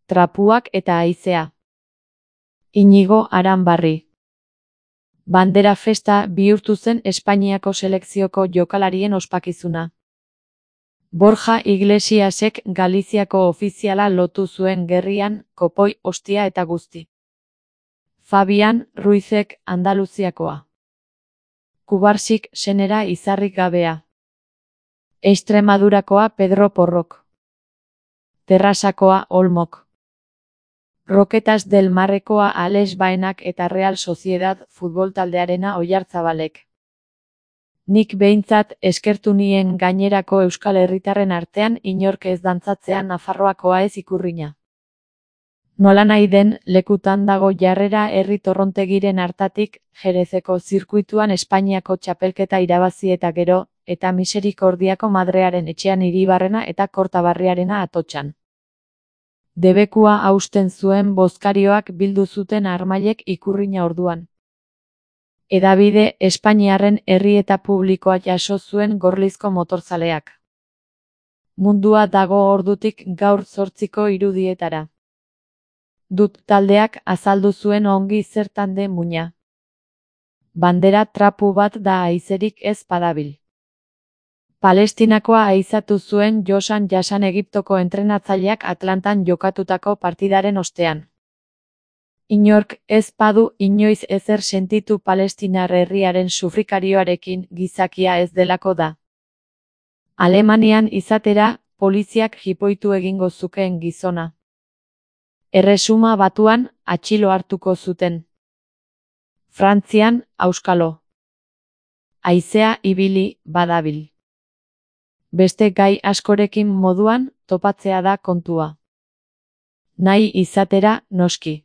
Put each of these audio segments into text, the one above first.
trapuak eta haizea. Iñigo Aranbarri. Bandera festa bihurtu zen Espainiako selekzioko jokalarien ospakizuna. Borja Iglesiasek Galiziako ofiziala lotu zuen gerrian, kopoi, ostia eta guzti. Fabian Ruizek Andaluziakoa. Kubarsik senera izarrik gabea. Extremadurakoa Pedro Porrok. Terrasakoa Olmok. Roquetas del Marrekoa Alex Baenak eta Real Sociedad futbol taldearena Oyarzabalek. Nik behintzat eskertu nien gainerako euskal herritarren artean inork ez dantzatzea Nafarroakoa ez ikurrina. Nola nahi den, lekutan dago jarrera herri torrontegiren hartatik, Jerezeko zirkuituan Espainiako txapelketa irabazi eta gero, eta Miserikordiako Madrearen etxean Iribarrena eta Kortabarriarena Atotxan. Debekua hausten zuen bozkarioak bildu zuten armailek ikurrina orduan. Hedabide Espainiarren herri eta publikoa jaso zuen Gorlizko motorzaleak. Mundua dago ordutik gaur 8:00 irudietara. Dut taldeak azaldu zuen ongi zertan den muina. Bandera trapu bat da haizerik ez padabil. Palestinakoa aizatu zuen Josan Jasan Egiptoko entrenatzaileak Atlantan jokatutako partidaren ostean. Inork ez badu inoiz ezer sentitu palestinar herriaren sufrikarioarekin gizakia ez delako da. Alemanian izatera, poliziak jipoitu egingo zukeen gizona. Erresuma Batuan, atxilo hartuko zuten. Frantzian, auskalo. Haizea ibili badabil. Beste gai askorekin moduan, topatzea da kontua. Nahi izatera, noski.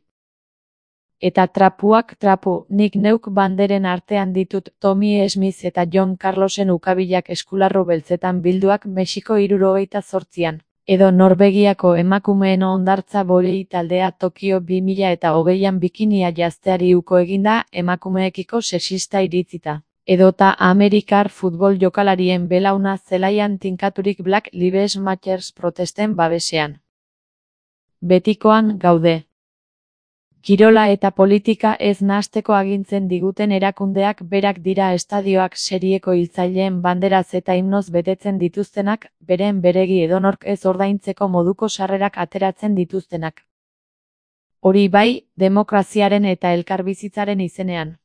Eta trapuak trapu, nik neuk banderen artean ditut Tommy Smith eta John Carlosen ukabilak eskularro beltzetan bilduak Mexiko 78an, edo Norvegiako emakumeen hondartza bolei taldea Tokio 2020an bikinia jazteari uko eginda emakumeekiko sexista iritzita. Edota Amerikar futbol jokalarien belauna zelaian tinkaturik Black Lives Matter protesten babesean. Betikoan gaude. Kirola eta politika ez nahasteko agintzen diguten erakundeak berak dira estadioak serieko hiltzaileen banderaz eta himnoz betetzen dituztenak, beren beregi edonork ez ordaintzeko moduko sarrerak ateratzen dituztenak. Hori bai, demokraziaren eta elkarbizitzaren izenean.